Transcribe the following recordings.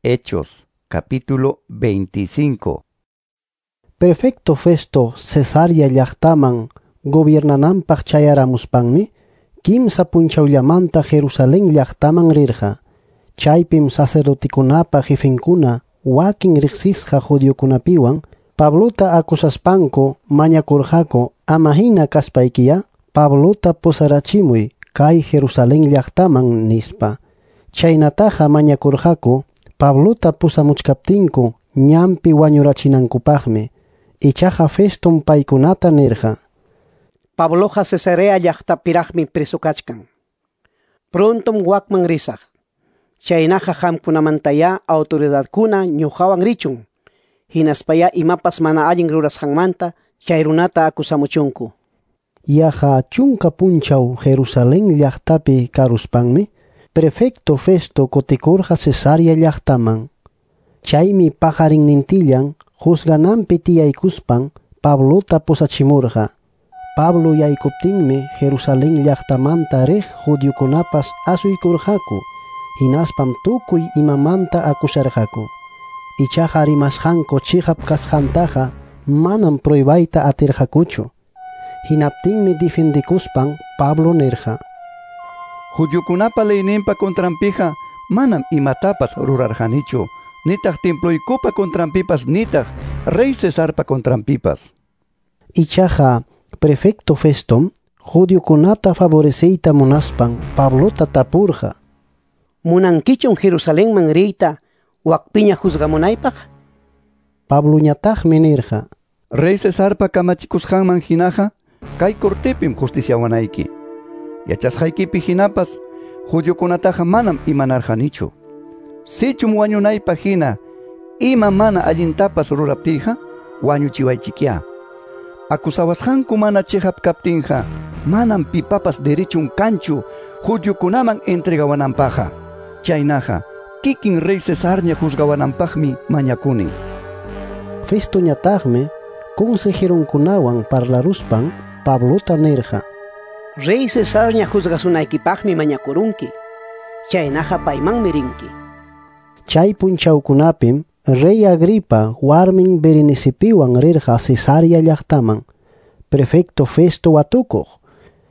Hechos capítulo 25. Prefecto Festo Cesarea llaqtaman gobiernananpaq chayaramuspanmi kimsa punchawllamanta Jerusalén llaqtaman rirqa. Chaypim sacerdotikunapa jefenkuna wakin riqsisqa judiokunapiwan Pablota acusaspanku mañakurqaku ama hina kaspaykiya Pablota pusarachimuy kay Jerusalén llaqtaman nispa. Chaynataqa mañakurqaku Pablota pusamuchkaptinku ñanpi wañurachinankupaqmi. Ichaqa Festom paykunata nirqa: Pabloqa Cesarea llaqtapiraqmi preso kachkan. Prontom wakman risaq. Chaynaqa qamkunamantayá autoridadkuna ñuqawan richun. Hinaspayá imapas mana allin rurasqanmanta chay runata acusamuchunku. Yaqa chunka punchaw Jerusalén llaqtapi karuspanmi prefecto Festo kutikurqa Cesarea llaqtaman. Chaymi paqarinnintillan juzgananpi tiyaykuspan Pablota pusachimurqa. Pablo yaykuptinmi Jerusalén llaqtamanta riq judiokunapas asuykurqaku, hinaspam tukuy imamanta acusarqaku. Ichaqa rimasqanku chiqap kasqantaqa manam pruebayta atirqakuchu. Hinaptinmi defendikuspan Pablo nirqa: Judiokunapa leyninpa contranpiqa manam imatapas rurarqanichu, nitaq temploykupa contranpipas nitaq rey Cesarpa contranpipas. Ichaqa prefecto Festom judiokunata favoreceyta munaspan Pablota tapurqa: Munankichum Jerusalenman riyta wakpiña juzgamunaypaq? Pabloñataqmi nirqa: Rey Cesarpa kamachikusqanman hinaqa kay cortepim justiciawanayki. Yachasqaykipi hinapas judiokunataqa manam imanarqanichu. Sichum wañunaypaq hina ima mana allintapas ruraptiyqa wañuchiwaychikyá. Acusawasqanku mana chiqap kaptinqa manam pipapas derechun kanchu judiokunaman entregawananpaqqa. Chaynaqa kikin rey Cesarña juzgawananpaqmi mañakuni. Festoñataqmi consejeronkunawan parlaruspan Pablota nirqa: Rey Cesarña juzgasunaykipaqmi mañakurunki. Chaynaqa paymanmi rinki. Chay punchawkunapim rey Agripa warmin Berenicipiwan rirqa Cesarea llaqtaman prefecto Festo watukuq.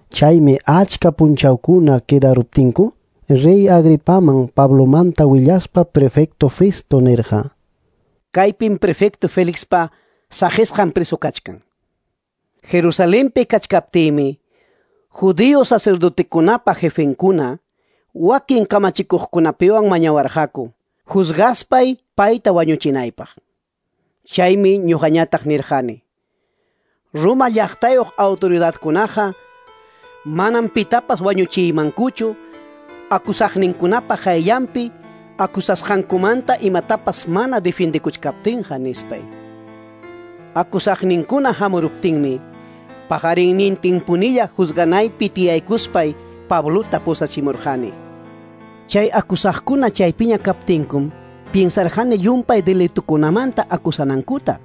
Chaymi achka punchawkuna quedaruptinku rey Agripaman Pablomanta willaspa prefecto Festo nirqa: Kaypim prefecto Felixpa saqisqan preso kachkan. Jerusalenpi kachkaptiymi judío sacerdotekunapa jefenkuna wakin kamachikuqkunapiwan mañawarqaku juzgaspay payta wañuchinaypaq. Chaymi ñuqañataq nirqani: Roma llaqtayuq autoridadkunaqa manam pitapas wañuchiymankuchu acusaqninkunapa qayllanpi acusasqankumanta imatapas mana defendikuchkaptinqa nispay. Acusaqninkuna hamuruptinmi paqarinnintinpunilla juzganaypi tiyaykuspay Pablota pusachimurqani. Chay acusaqkuna chaypiña kaptinkum piensarqani llumpay delitukunamanta acusanankuta.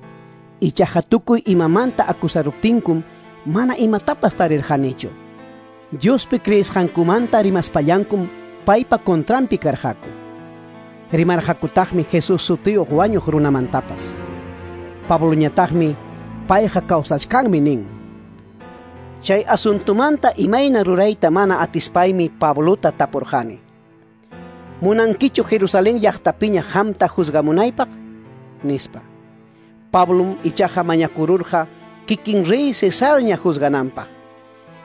Ichaqa tukuy imamanta acusaruptinkum mana imatapas tarirqanichu. Diospi creesqankumanta rimaspallankum paypa contranpi karqaku. Rimarqakutaqmi Jesús sutiyuq wañuq runamantapas. Pabloñataqmi payqa kawsachkanmi nin. Chay asuntumanta imayna rurayta mana atispaymi Pablota tapurqani: Munankichu Jerusalén llaqtapiña qamta juzgamunaypaq? Nispa. Pablom ichaqa mañakururqa kikin rey Cesarña juzgananpaq.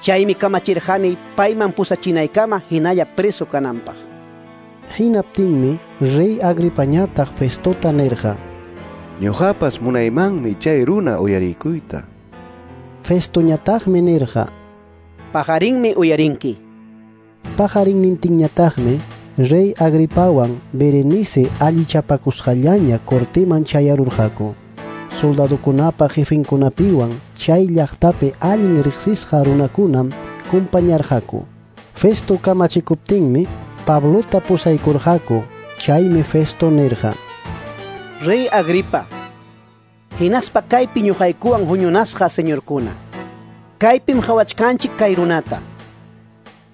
Chaymi kamachirqani payman pusachinaykama hinalla preso kananpaq. Hinaptinmi rey Agripañataq Festota nirqa: Ñuqapas munaymanmi chay runa uyarikuyta. Festoñataqmi nirqa: Paqarinmi uyarinki. Paqarinnintinñataqmi rey Agripawan Berenice allichapakusqallaña corteman chayarurqaku. Soldadokunapa jefenkunapiwan chay llaqtapi allin riqsisqa runakunam kumpañarqaku. Festo kamachikuptinmi Pablota pusaykurqaku. Chaymi Festo nirqa: Rey Agripa, hinaspa kaypi ñuqaykuwan huñunasqa señorkuna, kaypim qhawachkanchik kay runata.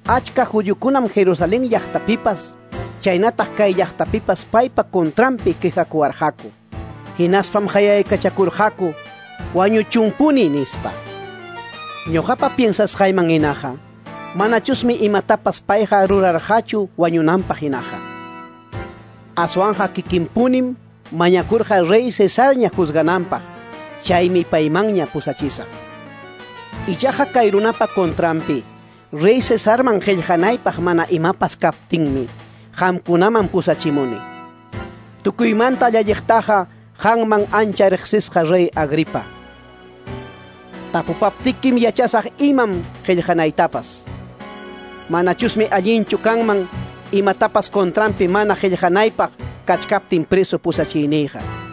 Achka judiokunam Jerusalén llaqtapipas Chaynataq kay llaqtapipas paypa contranpi quejakuwarqaku. Hinaspam qayaykachakurqaku wañuchunpuni nispa. Ñuqapa piensasqayman hinaqa, manachusmi imatapas payqa rurarqachu wañunanpaq hinaqa. Aswanja kikinpunim mañakurqa rey Cesarña juzgananpaq, chaymi paymanña pusachisaq. Ichaqa kay runapa contranpi, rey Cesarman qillqanaypaq mana imapas kaptinmi, qamkunaman pusachimuni. Tukuymanta llalliqtaqa qanman ancha riqsisqa rey Agripa. Tapupaptikim yachasaq imam qillqanaytapas. Manachusmi allinchu kanman imatapas contranpi mana qillqanaypaq kachkaptin preso pusachiyniyqa.